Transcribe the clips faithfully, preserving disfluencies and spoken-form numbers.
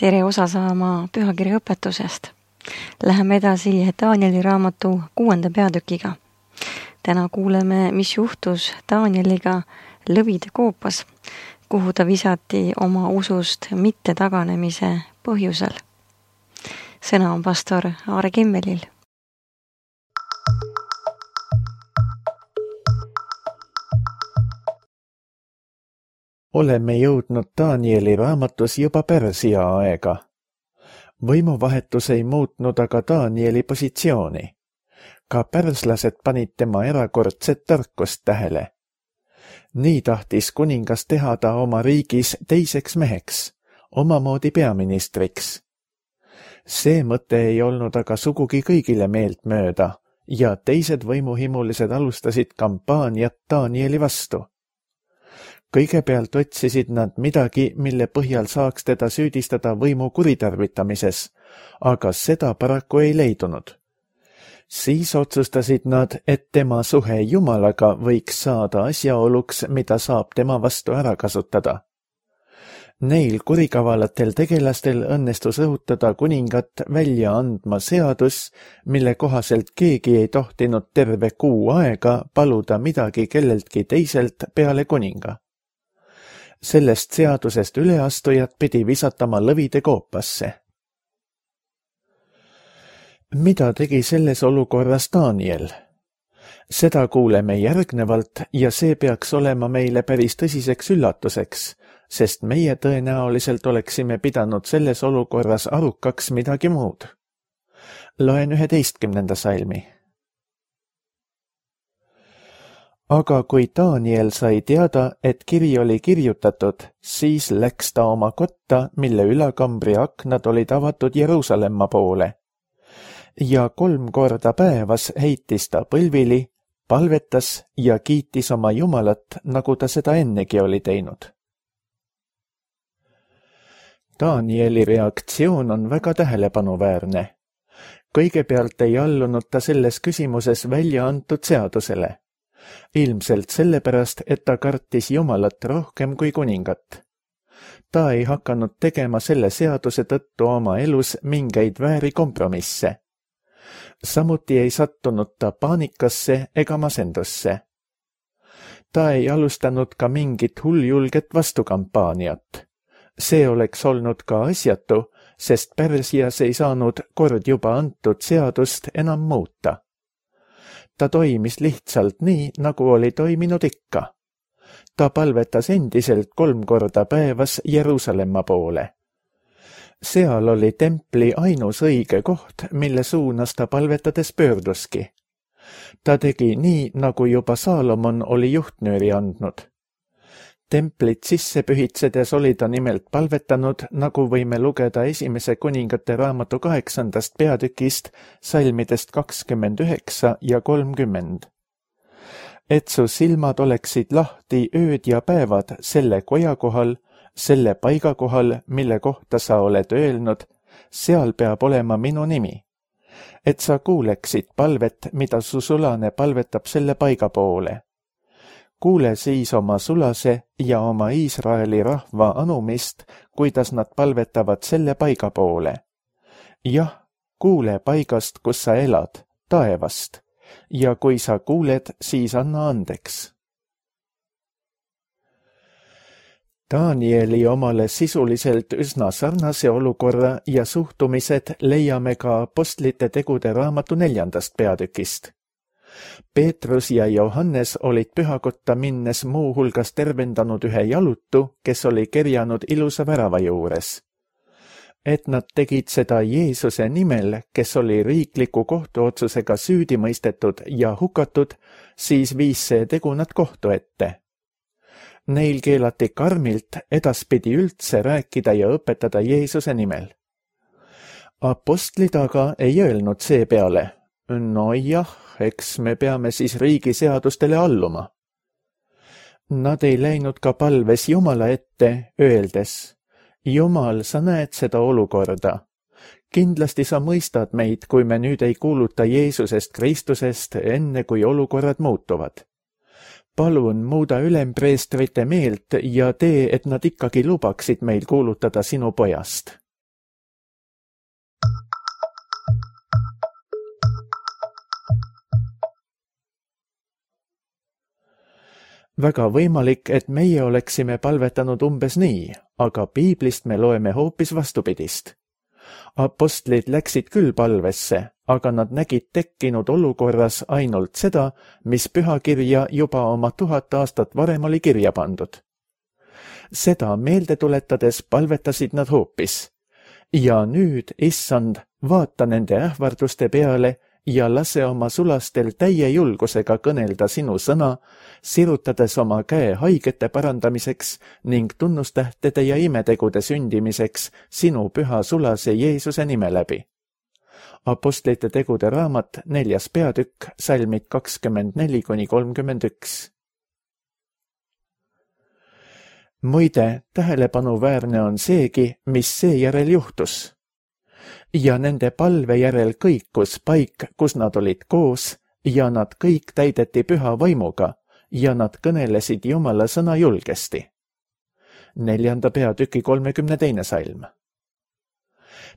tere osa saama pühakirja õpetusest. Läheme edasi Danieli raamatu kuuenda peatükiga. Täna kuuleme, mis juhtus Danieliga lõvide koopas, kuhu ta visati oma usust mitte taganemise põhjusel. Sõna on pastor Aare Kimmelil. Oleme jõudnud Danieli raamatus juba Pärsia aega. Võimuvahetus ei muutnud aga Danieli positsiooni. Ka pärslased panid tema erakordset tarkust tähele. Nii tahtis kuningas teha ta oma riigis teiseks meheks, omamoodi peaministriks. See mõte ei olnud aga sugugi kõigile meelt mööda ja teised võimuhimulised alustasid kampaaniat Danieli vastu. Kõigepealt otsisid nad midagi, mille põhjal saaks teda süüdistada võimu kuritarvitamises, aga seda paraku ei leidunud. Siis otsustasid nad, et tema suhe Jumalaga võiks saada asjaoluks, mida saab tema vastu ära kasutada. Neil kurikavalatel tegelastel õnnestus õhutada kuningat välja andma seadus, mille kohaselt keegi ei tohtinud terve kuu aega paluda midagi kelleltki teiselt peale kuninga. Sellest seadusest üleastujad pidi visatama lõvide koopasse. Mida tegi selles olukorras Daniel? Seda kuuleme järgnevalt ja see peaks olema meile päris tõsiseks üllatuseks, sest meie tõenäoliselt oleksime pidanud selles olukorras arukaks midagi muud. Loen üheteistkümnenda salmi. Aga kui Daniel sai teada, et kiri oli kirjutatud, siis läks ta oma kotta, mille ülakambri aknad olid avatud Jeruusalemma poole. Ja kolm korda päevas heitis ta põlvili, palvetas ja kiitis oma Jumalat, nagu ta seda ennegi oli teinud. Danieli reaktsioon on väga tähelepanuväärne. Kõigepealt ei allunud ta selles küsimuses välja antud seadusele. Ilmselt sellepärast, et ta kartis Jumalat rohkem kui kuningat. Ta ei hakanud tegema selle seaduse tõttu oma elus mingeid vääri kompromisse. Samuti ei sattunud ta paanikasse ega masendusse. Ta ei alustanud ka mingit hulljulget vastukampaaniat. See oleks olnud ka asjatu, sest Pärsias ei saanud kord juba antud seadust enam muuta. Ta toimis lihtsalt nii, nagu oli toiminud ikka. Ta palvetas endiselt kolm korda päevas Jeruusalemma poole. Seal oli templi ainus õige koht, mille suunas ta palvetades pöörduski. Ta tegi nii, nagu juba Saalomon oli juhtnööri andnud. Templit sisse pühitsedes oli ta nimelt palvetanud, nagu võime lugeda esimese kuningate raamatu kaheksandast peatükist, salmidest kakskümmend üheksa ja kolmkümmend. Et su silmad oleksid lahti ööd ja päevad selle koja kohal, selle paiga kohal, mille kohta sa oled öelnud, seal peab olema minu nimi. Et sa kuuleksid palvet, mida su sulane palvetab selle paiga poole. Kuule siis oma sulase ja oma Iisraeli rahva anumist, kuidas nad palvetavad selle paiga poole. Jah, kuule paigast, kus sa elad, taevast, ja kui sa kuuled, siis anna andeks. Danieli omale sisuliselt üsna sarnase olukorra ja suhtumised leiame ka apostlite tegude raamatu neljandast peatükist. Peetrus ja Johannes olid pühakotta minnes muu hulgas tervendanud ühe jalutu, kes oli kerjanud ilusa värava juures. Et nad tegid seda Jeesuse nimel, kes oli riikliku kohtuotsusega süüdi mõistetud ja hukatud, siis viis see tegu nad kohtu ette. Neil keelati karmilt edaspidi üldse rääkida ja õpetada Jeesuse nimel. Apostlid aga ei öelnud seepeale, no jah, eks me peame siis riigi seadustele alluma. Nad ei läinud ka palves Jumala ette, öeldes, Jumal, sa näed seda olukorda. Kindlasti sa mõistad meid, kui me nüüd ei kuuluta Jeesusest Kristusest, enne kui olukorrad muutuvad. Palun muuda ülempreestrite meelt ja tee, et nad ikkagi lubaksid meil kuulutada sinu pojast. väga võimalik, et meie oleksime palvetanud umbes nii, aga piiblist me loeme hoopis vastupidist. Apostlid läksid küll palvesse, aga nad nägid tekkinud olukorras ainult seda, mis pühakirja juba oma tuhat aastat varem oli kirja pandud. Seda meelde tuletades palvetasid nad hoopis. Ja nüüd, issand, vaata nende ähvarduste peale ja lase oma sulastel täie julgusega kõnelda sinu sõna, sirutades oma käe haigete parandamiseks ning tunnustähtede ja imetegude sündimiseks sinu püha sulase Jeesuse nime läbi. Apostlite tegude raamat, neljas peatükk, salmid kakskümmend neli kuni kolmkümmend üks. Muide, tähelepanuväärne on seegi, mis seejärel juhtus. Ja nende palve järel kõikus paik, kus nad olid koos, ja nad kõik täideti püha vaimuga, ja nad kõnelesid Jumala sõna julgesti. Neljanda peatüki kolmekümne teine salm.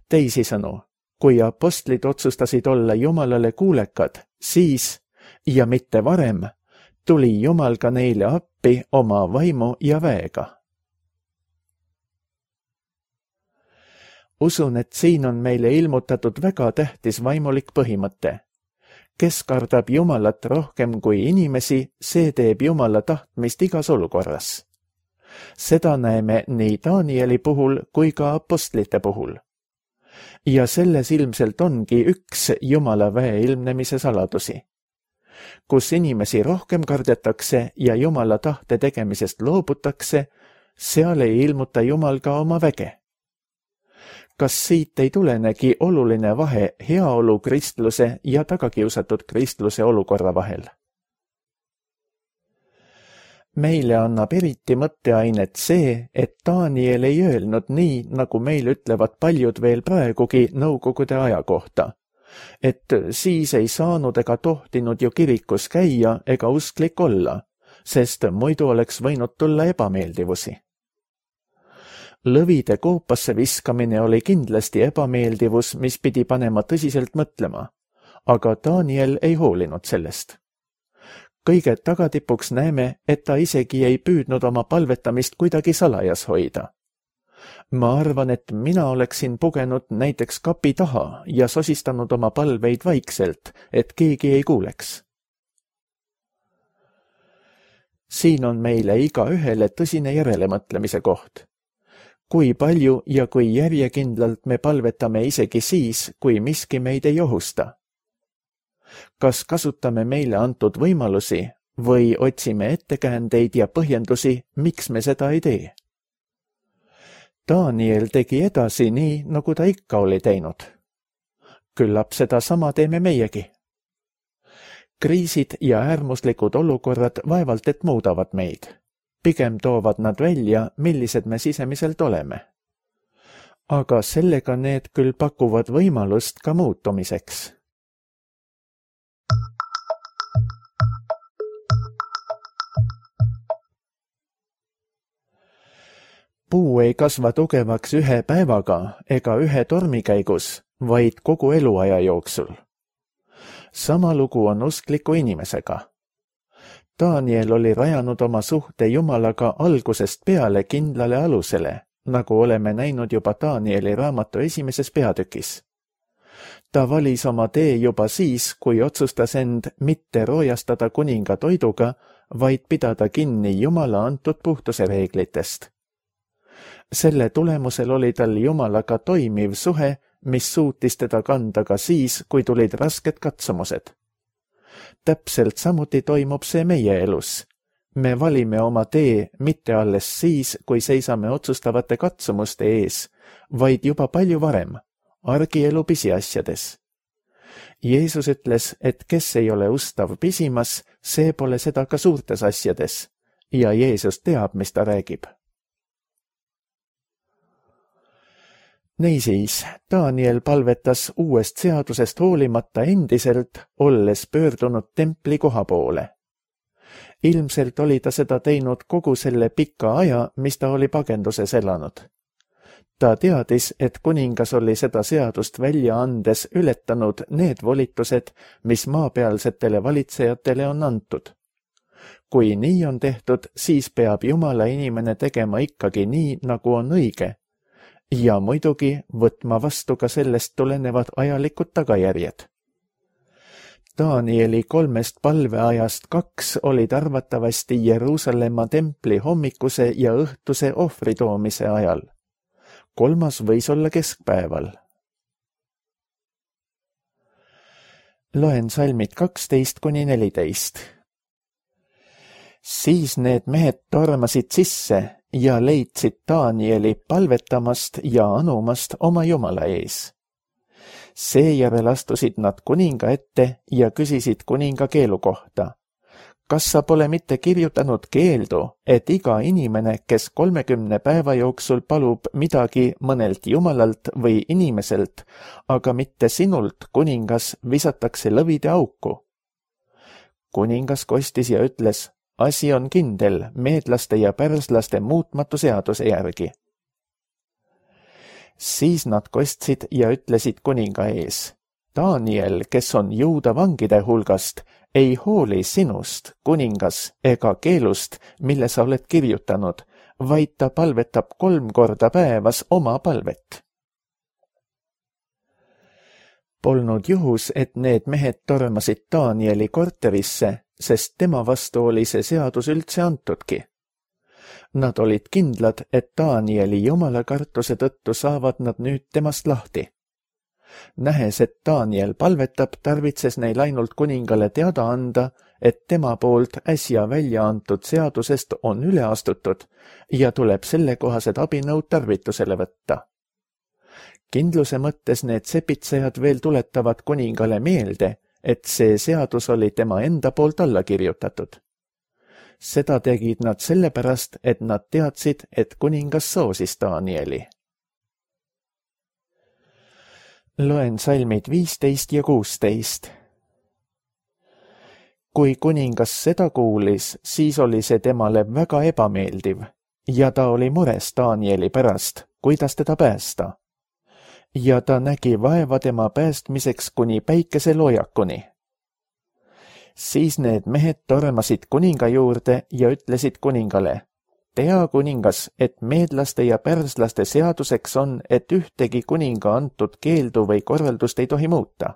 Teisisõnu, kui apostlid otsustasid olla Jumalale kuulekad, siis, ja mitte varem, tuli Jumal ka neile appi oma vaimu ja väega. Usun, et siin on meile ilmutatud väga tähtis vaimulik põhimõte. Kes kardab Jumalat rohkem kui inimesi, see teeb Jumala tahtmist igas olukorras. Seda näeme nii Danieli puhul kui ka apostlite puhul. Ja selles ilmselt ongi üks Jumala väe ilmnemise saladusi. Kus inimesi rohkem kardetakse ja Jumala tahte tegemisest loobutakse, seal ei ilmuta Jumal ka oma väge. Kas siit ei tulenegi oluline vahe heaolu kristluse ja tagakiusatud kristluse olukorra vahel? Meile annab eriti mõtteainet see, et Daniel ei öelnud nii, nagu meil ütlevad paljud veel praegugi nõukogude aja kohta, et siis ei saanud ega tohtinud ju kirikus käia ega usklik olla, sest muidu oleks võinud tulla ebameeldivusi. Lõvide koopasse viskamine oli kindlasti ebameeldivus, mis pidi panema tõsiselt mõtlema, aga Daniel ei hoolinud sellest. Kõige tagatipuks näeme, et ta isegi ei püüdnud oma palvetamist kuidagi salajas hoida. Ma arvan, et mina oleksin pugenud näiteks kapi taha ja sosistanud oma palveid vaikselt, et keegi ei kuuleks. Siin on meile iga ühele tõsine järelemõtlemise koht. Kui palju ja kui järjekindlalt me palvetame isegi siis, kui miski meid ei ohusta. Kas kasutame meile antud võimalusi või otsime ettekäändeid ja põhjendusi, miks me seda ei tee? Daniel tegi edasi nii, nagu ta ikka oli teinud. Küllap seda sama teeme meiegi. Kriisid ja äärmuslikud olukorrad vaevalt et muudavad meid. Pigem toovad nad välja, millised me sisemiselt oleme. Aga sellega need küll pakuvad võimalust ka muutumiseks. Puu ei kasva tugevaks ühe päevaga ega ühe tormi käigus, vaid kogu eluaja jooksul. Sama lugu on uskliku inimesega. Daniel oli rajanud oma suhte Jumalaga algusest peale kindlale alusele, nagu oleme näinud juba Danieli raamatu esimeses peatükis. Ta valis oma tee juba siis, kui otsustas end mitte roojastada kuninga toiduga, vaid pidada kinni Jumala antud puhtuse reeglitest. Selle tulemusel oli tal Jumalaga toimiv suhe, mis suutis teda kanda ka siis, kui tulid rasked katsumused. Täpselt samuti toimub see meie elus. Me valime oma tee mitte alles siis, kui seisame otsustavate katsumuste ees, vaid juba palju varem, argielu pisiasjades. Jeesus ütles, et kes ei ole ustav pisimas, see pole seda ka suurtes asjades, ja Jeesus teab, mis ta räägib. Niisiis, Daniel palvetas uuest seadusest hoolimata endiselt, olles pöördunud templi koha poole. Ilmselt oli ta seda teinud kogu selle pika aja, mis ta oli pagenduses elanud. Ta teadis, et kuningas oli seda seadust välja andes ületanud need volitused, mis maapealsetele valitsejatele on antud. kui nii on tehtud, siis peab Jumala inimene tegema ikkagi nii, nagu on õige. Ja muidugi võtma vastu ka sellest tulenevad ajalikud tagajärjed. Danieli kolmest palveajast kaks olid arvatavasti Jeruusalemma templi hommikuse ja õhtuse ohvri toomise ajal. Kolmas võis olla keskpäeval. Loen salmid kaksteist kuni neliteist. Siis need mehed tormasid sisse ja leidsid Danieli palvetamast ja anumast oma Jumala ees. Seejärel astusid nad kuninga ette ja küsisid kuninga keelu kohta. Kas sa pole mitte kirjutanud keeldu, et iga inimene, kes kolmekümne päeva jooksul palub midagi mõnelt jumalalt või inimeselt, aga mitte sinult, kuningas, visatakse lõvide auku? Kuningas kostis ja ütles, asi on kindel meedlaste ja pärslaste muutmatu seaduse järgi. Siis nad kostsid ja ütlesid kuninga ees, Daniel, kes on juuda vangide hulgast, ei hooli sinust, kuningas, ega keelust, mille sa oled kirjutanud, vaid ta palvetab kolm korda päevas oma palvet. Polnud juhus, et need mehed tormasid Danieli korterisse, sest tema vastu oli see seadus üldse antudki. Nad olid kindlad, et Danieli jumalakartuse tõttu saavad nad nüüd temast lahti. Nähes, et Daniel palvetab, tarvitses neil ainult kuningale teada anda, et tema poolt äsja välja antud seadusest on üle astutud ja tuleb sellekohased abinõud tarvitusele võtta. Kindluse mõttes need sepitsejad veel tuletavad kuningale meelde, et see seadus oli tema enda poolt alla kirjutatud. Seda tegid nad sellepärast, et nad teadsid, et kuningas soosis Danieli. Loen salmid viisteist ja kuusteist. Kui kuningas seda kuulis, siis oli see temale väga ebameeldiv ja ta oli mures Danieli pärast, kuidas teda päästa. Ja ta nägi vaeva tema päästmiseks kuni päikeseloojakuni. Siis need mehed tormasid kuninga juurde ja ütlesid kuningale, tea kuningas, et meedlaste ja pärslaste seaduseks on, et ühtegi kuninga antud keeldu või korraldust ei tohi muuta.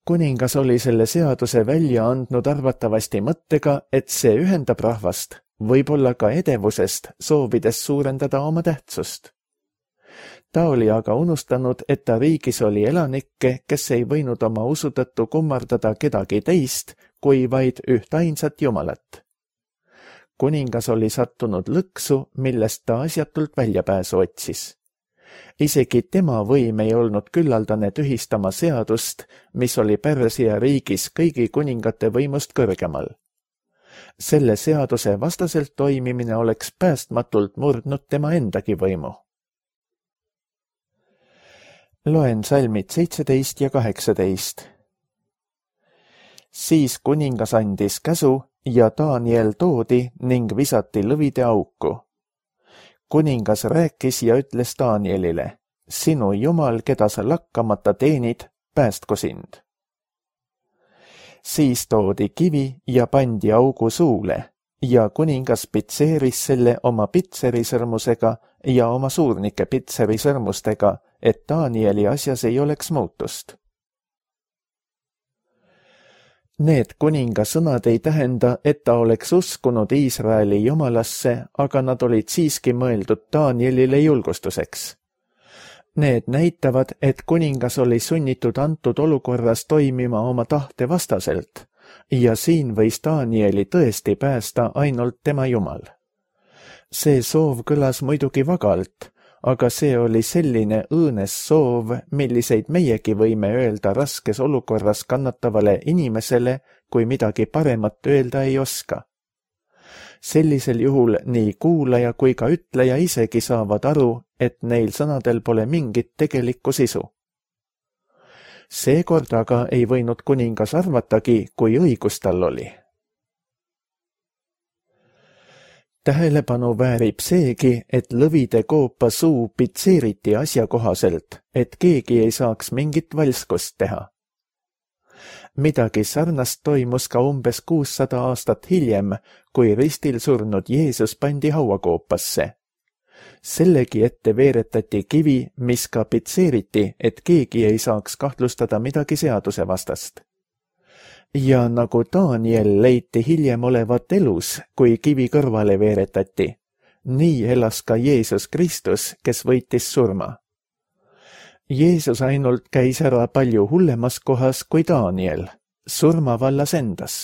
Kuningas oli selle seaduse välja andnud arvatavasti mõttega, et see ühendab rahvast, võib-olla ka edevusest, soovides suurendada oma tähtsust. Ta oli aga unustanud, et ta riigis oli elanikke, kes ei võinud oma usu tõttu kummardada kedagi teist, kui vaid üht ainsat jumalat. Kuningas oli sattunud lõksu, millest ta asjatult väljapääsu otsis. Isegi tema võim ei olnud küllaldane tühistama seadust, mis oli Pärsia riigis kõigi kuningate võimust kõrgemal. Selle seaduse vastaselt toimimine oleks päästmatult murdnud tema endagi võimu. Loen salmid seitseteist ja kaheksateist. Siis kuningas andis käsu ja Daniel toodi ning visati lõvide auku. Kuningas rääkis ja ütles Danielile, sinu jumal, keda sa lakkamata teenid, päästku sind. Siis toodi kivi ja pandi augu suule ja kuningas pitseeris selle oma pitserisõrmusega ja oma suurnike pitserisõrmustega, et Danieli asjas ei oleks muutust. Need kuninga sõnad ei tähenda, et ta oleks uskunud Iisraeli jumalasse, aga nad olid siiski mõeldud Danielile julgustuseks. Need näitavad, et kuningas oli sunnitud antud olukorras toimima oma tahte vastaselt ja siin võis Danieli tõesti päästa ainult tema jumal. See soov kõlas muidugi vagalt, aga see oli selline õõnes soov, milliseid meiegi võime öelda raskes olukorras kannatavale inimesele, kui midagi paremat öelda ei oska. Sellisel juhul nii kuulaja kui ka ütleja isegi saavad aru, et neil sõnadel pole mingit tegelikku sisu. Seekord aga ei võinud kuningas arvatagi, kui õigus tal oli. Tähelepanu väärib seegi, et lõvide koopa suu pitseeriti asjakohaselt, et keegi ei saaks mingit valskust teha. Midagi sarnast toimus ka umbes kuussada aastat hiljem, kui ristil surnud Jeesus pandi hauakoopasse. Sellegi ette veeretati kivi, mis ka pitseeriti, et keegi ei saaks kahtlustada midagi seaduse vastast. Ja nagu Daniel leiti hiljem olevat elus, kui kivi kõrvale veeretati, nii elas ka Jeesus Kristus, kes võitis surma. Jeesus ainult käis ära palju hullemas kohas kui Daniel, surmavallas endas.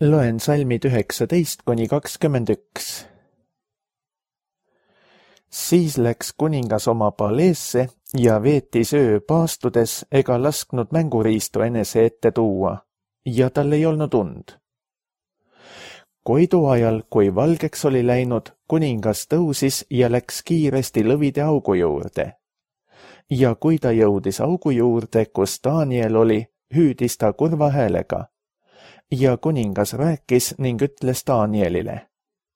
Loen salmid üheksateist kuni kakskümmend üks. Siis läks kuningas oma paleesse ja veetis öö paastudes ega lasknud mänguriistu enese ette tuua, ja tal ei olnud und. Koidu ajal, kui valgeks oli läinud, kuningas tõusis ja läks kiiresti lõvide augu juurde. Ja kui ta jõudis augu juurde, kus Daniel oli, hüüdis ta kurva häälega. Ja kuningas rääkis ning ütles Danielile: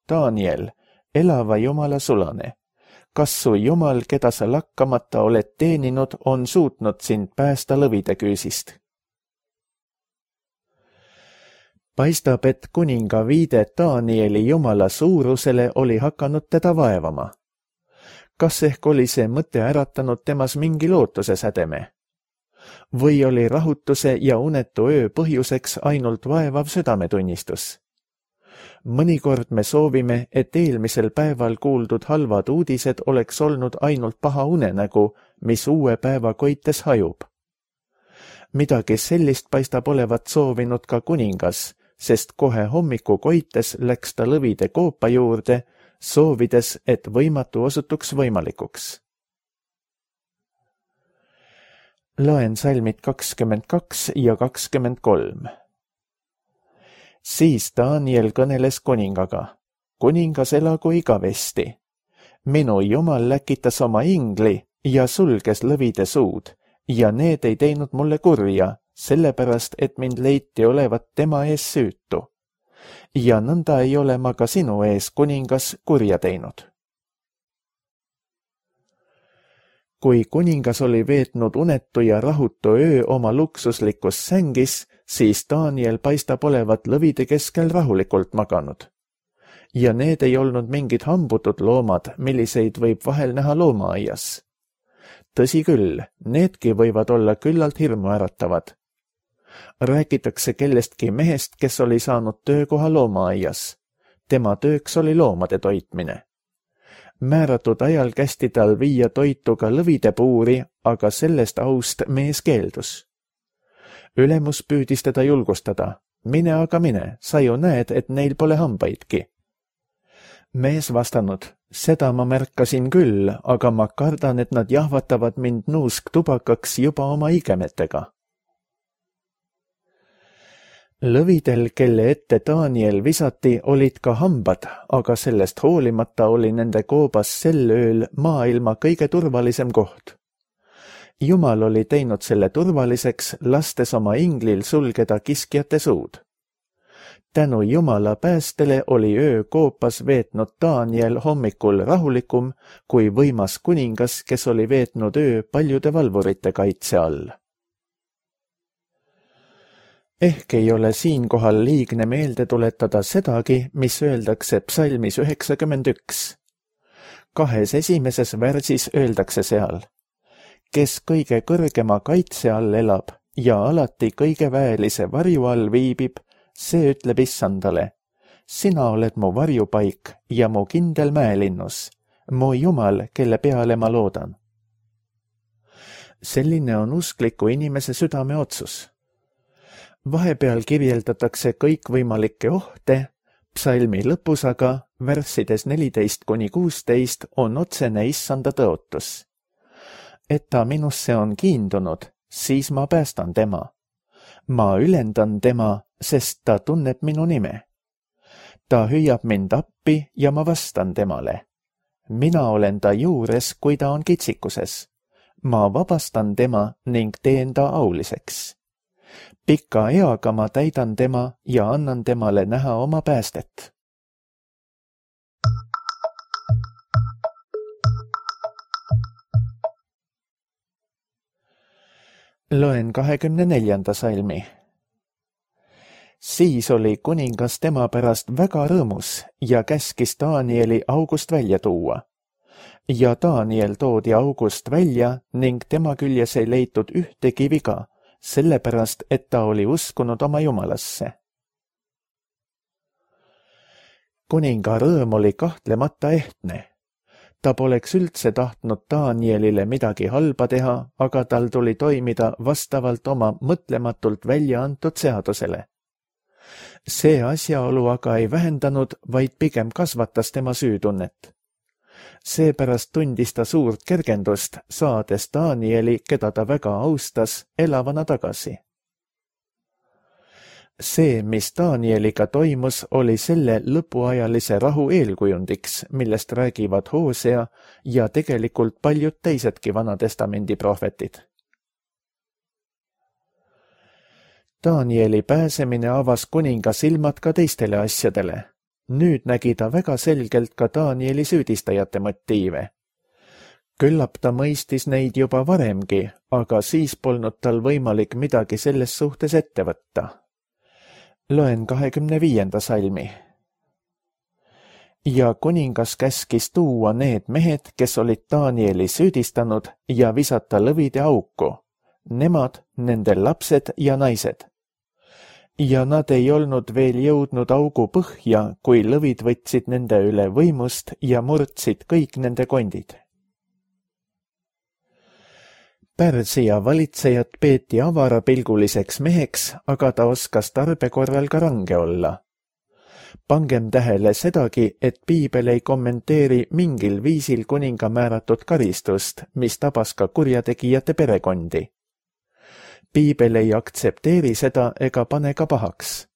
Daniel, elava Jumala sulane, kas su Jumal, keda sa lakkamata oled teeninud, on suutnud sind päästa lõvide küüsist? Paistab, et kuninga viide Danieli Jumala suurusele oli hakanud teda vaevama. Kas ehk oli see mõte äratanud temas mingi lootuse sädeme? Või oli rahutuse ja unetu öö põhjuseks ainult vaevav südametunnistus? Mõnikord me soovime, et eelmisel päeval kuuldud halvad uudised oleks olnud ainult paha unenägu, mis uue päeva koites hajub. Midagi sellist paistab olevat soovinud ka kuningas, sest kohe hommiku koites läks ta lõvide koopa juurde, soovides, et võimatu osutuks võimalikuks. Loen salmid kakskümmend kaks ja kakskümmend kolm. Siis Daniel kõneles kuningaga: kuningas elagu igavesti. Minu Jumal läkitas oma ingli ja sulges lõvide suud, ja need ei teinud mulle kurja, sellepärast, et mind leiti olevat tema ees süütu. Ja nõnda ei ole ma ka sinu ees, kuningas, kurja teinud. Kui kuningas oli veetnud unetu ja rahutu öö oma luksuslikus sängis, siis Daniel paistab olevat lõvide keskel rahulikult maganud. Ja need ei olnud mingid hambutud loomad, milliseid võib vahel näha loomaaias. Tõsi küll, needki võivad olla küllalt hirmu äratavad. Räägitakse kellestki mehest, kes oli saanud töökoha loomaaias. Tema tööks oli loomade toitmine. Määratud ajal kästi tal viia toitu ka lõvide puuri, aga sellest aust mees keeldus. Ülemus püüdis teda julgustada: mine aga mine, sa ju näed, et neil pole hambaidki. Mees vastanud: seda ma märkasin küll, aga ma kardan, et nad jahvatavad mind nuusktubakaks juba oma igemetega. Lõvidel, kelle ette Daniel visati, olid ka hambad, aga sellest hoolimata oli nende koobas sel ööl maailma kõige turvalisem koht. Jumal oli teinud selle turvaliseks, lastes oma inglil sulgeda kiskjate suud. Tänu Jumala päästele oli öö koopas veetnud Daniel hommikul rahulikum kui võimas kuningas, kes oli veetnud öö paljude valvurite kaitse all. Ehk ei ole siinkohal liigne meelde tuletada sedagi, mis öeldakse psalmis üheksakümmend üks. Kahes esimeses värsis öeldakse seal: kes kõige kõrgema kaitse all elab ja alati kõige väelise varju all viibib, see ütleb issandale: sina oled mu varjupaik ja mu kindel mäelinnus, mu Jumal, kelle peale ma loodan. Selline on uskliku inimese südame otsus. Vahepeal kirjeldatakse kõikvõimalikke ohte, psalmi lõpus aga, värssides neliteist kuni kuusteist, on otsene issanda tõotus. Et ta minusse on kiindunud, siis ma päästan tema. Ma ülendan tema, sest ta tunneb minu nime. Ta hüüab mind appi ja ma vastan temale. Mina olen ta juures, kui ta on kitsikuses. Ma vabastan tema ning teen ta auliseks. Pika eaga ma täidan tema ja annan temale näha oma päästet. Loen kahekümne neljanda salmi. Siis oli kuningas tema pärast väga rõõmus ja käskis Danieli august välja tuua. Ja Daniel toodi august välja ning tema küljes ei leitud ühtegi viga, sellepärast, et ta oli uskunud oma jumalasse. Kuninga rõõm oli kahtlemata ehtne. Ta poleks üldse tahtnud Danielile midagi halba teha, aga tal tuli toimida vastavalt oma mõtlematult välja antud seadusele. See asjaolu aga ei vähendanud, vaid pigem kasvatas tema süütunnet. Seepärast tundis ta suurt kergendust, saades Danieli, keda ta väga austas, elavana tagasi. See, mis Danieliga toimus, oli selle lõpuajalise rahu eelkujundiks, millest räägivad Hoosea ja tegelikult paljud teisedki Vanatestamendi prohvetid. Danieli pääsemine avas kuninga silmad ka teistele asjadele. Nüüd nägi ta väga selgelt ka Danieli süüdistajate motiive. Küllap ta mõistis neid juba varemgi, aga siis polnud tal võimalik midagi selles suhtes ette võtta. Loen kahekümne viienda salmi. Ja kuningas käskis tuua need mehed, kes olid Danieli süüdistanud ja visata lõvide auku, nemad, nende lapsed ja naised. Ja nad ei olnud veel jõudnud augu põhja, kui lõvid võtsid nende üle võimust ja murdsid kõik nende kondid. Pärsia valitsejat peeti avarapilguliseks meheks, aga ta oskas tarbe korral ka range olla. Pangem tähele sedagi, et piibel ei kommenteeri mingil viisil kuninga määratud karistust, mis tabas ka kurjategijate perekondi. Piibel ei aktsepteeri seda ega pane ka pahaks.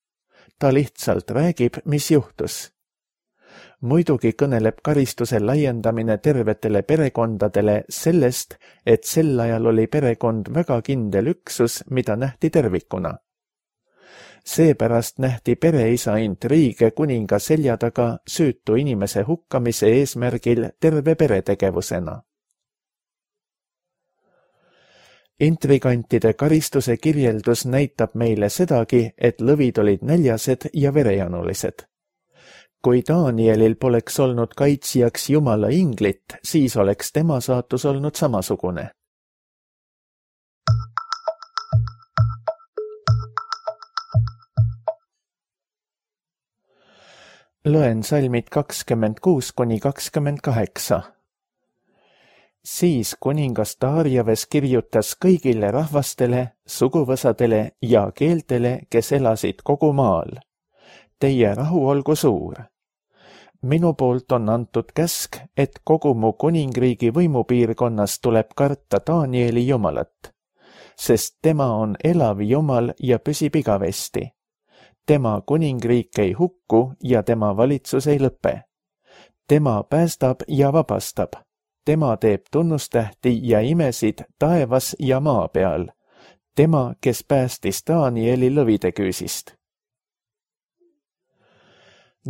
Ta lihtsalt räägib, mis juhtus. Muidugi kõneleb karistuse laiendamine tervetele perekondadele sellest, et sel ajal oli perekond väga kindel üksus, mida nähti tervikuna. Seepärast nähti pereisa intriige kuninga selja taga süütu inimese hukkamise eesmärgil terve peretegevusena. Intrigantide karistuse kirjeldus näitab meile sedagi, et lõvid olid näljased ja verejanulised. Kui Danielil poleks olnud kaitsjaks Jumala inglit, siis oleks tema saatus olnud samasugune. Loen salmid kakskümmend kuus kuni kakskümmend kaheksa. Siis kuningas Darjaves kirjutas kõigile rahvastele, suguvõsadele ja keeltele, kes elasid kogu maal. Teie rahu olgu suur. Minu poolt on antud käsk, et kogu mu kuningriigi võimupiirkonnas tuleb karta Danieli Jumalat, sest tema on elav Jumal ja püsib igavesti. Tema kuningriik ei hukku ja tema valitsus ei lõpe. Tema päästab ja vabastab. Tema teeb tunnustähti ja imesid taevas ja maa peal. Tema, kes päästis Danieli lõvide küüsist.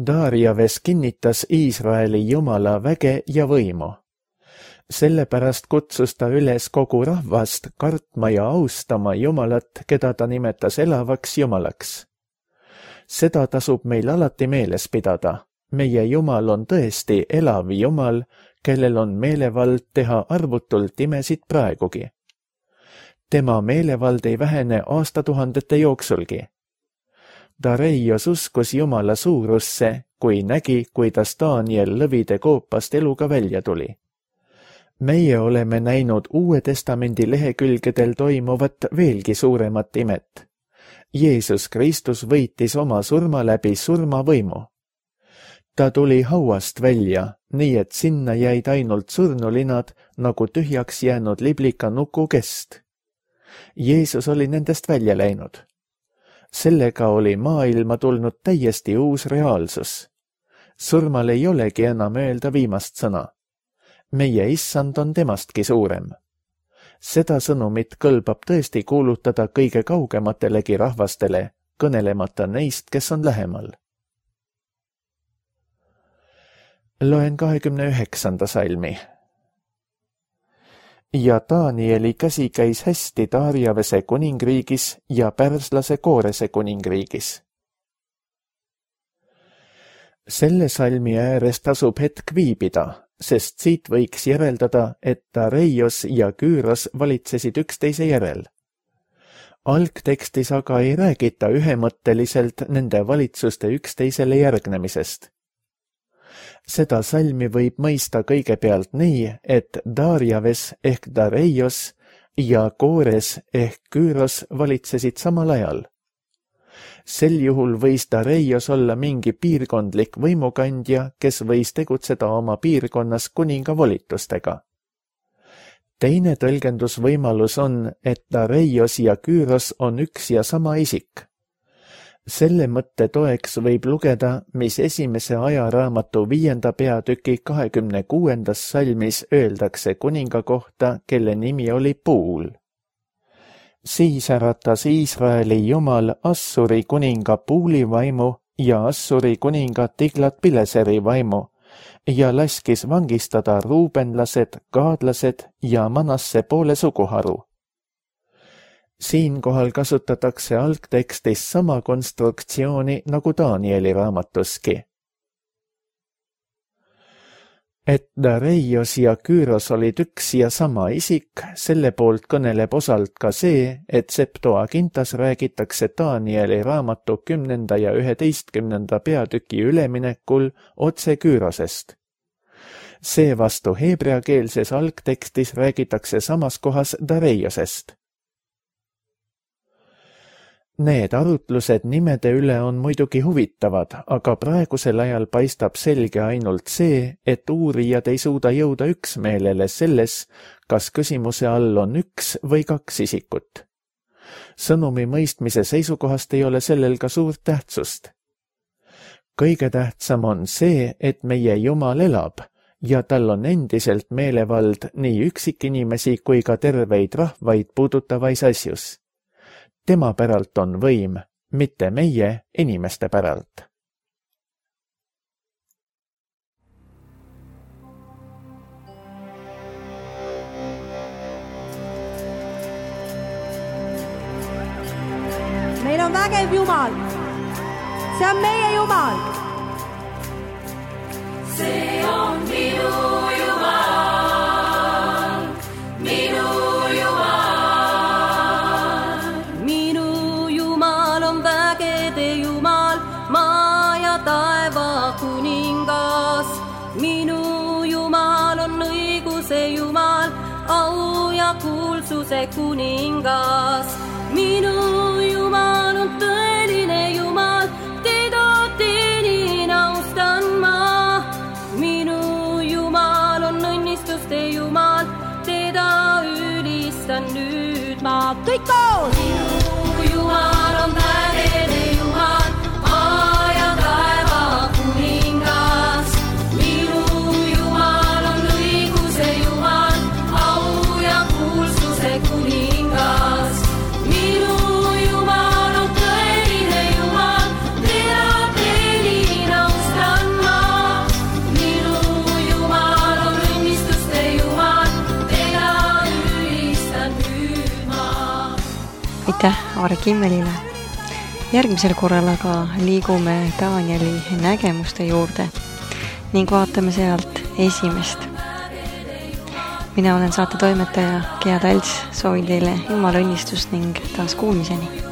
Darjaves kinnitas Iisraeli Jumala väge ja võimu. Sellepärast kutsus ta üles kogu rahvast kartma ja austama Jumalat, keda ta nimetas elavaks Jumalaks. Seda tasub meil alati meeles pidada. Meie Jumal on tõesti elav Jumal, kellel on meelevald teha arvutult imesid praegugi. Tema meelevald ei vähene aastatuhandete jooksulgi. Dareios uskus Jumala suurusse, kui nägi, kuidas Daniel lõvide koopast eluga välja tuli. Meie oleme näinud Uue Testamendi lehekülgedel toimuvat veelgi suuremat imet. Jeesus Kristus võitis oma surma läbi surmavõimu. Ta tuli hauast välja, nii et sinna jäid ainult surnulinad nagu tühjaks jäänud liblika nuku kest. Jeesus oli nendest välja läinud. Sellega oli maailma tulnud täiesti uus reaalsus. Surmal ei olegi enam öelda viimast sõna. Meie issand on temastki suurem. Seda sõnumit kõlbab tõesti kuulutada kõige kaugematelegi rahvastele, kõnelemata neist, kes on lähemal. Loen kahekümne üheksanda salmi. ja Danieli käsi käis hästi Darjavese kuningriigis ja pärslase Koorese kuningriigis. Selle salmi ääres tasub hetk viibida, sest siit võiks järeldada, et Dareios ja Küüros valitsesid üksteise järel. Algtekstis aga ei räägita ühemõtteliselt nende valitsuste üksteisele järgnemisest. Seda salmi võib mõista kõigepealt nii, et Darjaves ehk Dareios ja Koores ehk Küüros valitsesid samal ajal. Sel juhul võis Dareios olla mingi piirkondlik võimukandja, kes võis tegutseda oma piirkonnas kuninga volitustega. Teine tõlgendusvõimalus on, et Dareios ja Küüros on üks ja sama isik. Selle mõtte toeks võib lugeda, mis esimese ajaraamatu viienda peatüki kahekümne kuuendas salmis öeldakse kuninga kohta, kelle nimi oli Puul. Siis äratas Iisraeli jumal Assuri kuninga Puuli vaimu ja Assuri kuninga Tiglat-Pileseri vaimu ja laskis vangistada ruubenlased, gaadlased ja Manasse poole suguharu. Siinkohal kasutatakse algtekstis sama konstruktsiooni nagu Danieli raamatuski. Et Dareios ja Küüros olid üks ja sama isik, selle poolt kõneleb osalt ka see, et Septuagintas räägitakse Danieli raamatu kümnenda ja üheteistkümnenda peatüki üleminekul otse Küürosest. Seevastu heebreakeelses algtekstis räägitakse samas kohas Dareiosest. Need arutlused nimede üle on muidugi huvitavad, aga praegusel ajal paistab selge ainult see, et uurijad ei suuda jõuda üksmeelele selles, kas küsimuse all on üks või kaks isikut. Sõnumi mõistmise seisukohast ei ole sellel ka suurt tähtsust. Kõige tähtsam on see, et meie Jumal elab ja tal on endiselt meelevald nii üksikinimesi kui ka terveid rahvaid puudutavais asjus. Tema päralt on võim, mitte meie inimeste päralt. Meil on vägev Jumal. See on meie Jumal. See on minu Jumal, minu kuulsuse kuningas. Minu Jumal on tõeline Jumal, teda teenin, austan ma. Minu Jumal on õnnistuste Jumal, teda ülistan nüüd ma. Kõik koos! Minu Jumal on vägede Jumal, maa ja taeva kuningas. Minu Jumal on õiguse Jumal, kuningas. Minu Jumal on tõeline Jumal, teda teenin, austan ma. Minu Jumal on õnnistuste Jumal, teda ülistan nüüd ma. Aitäh Aare Kimmelile. Järgmisel korral aga liigume Danieli nägemuste juurde ning vaatame sealt esimest. Mina olen saate toimetaja Gea Talts, soovin teile Jumala õnnistust ning taas kuulmiseni.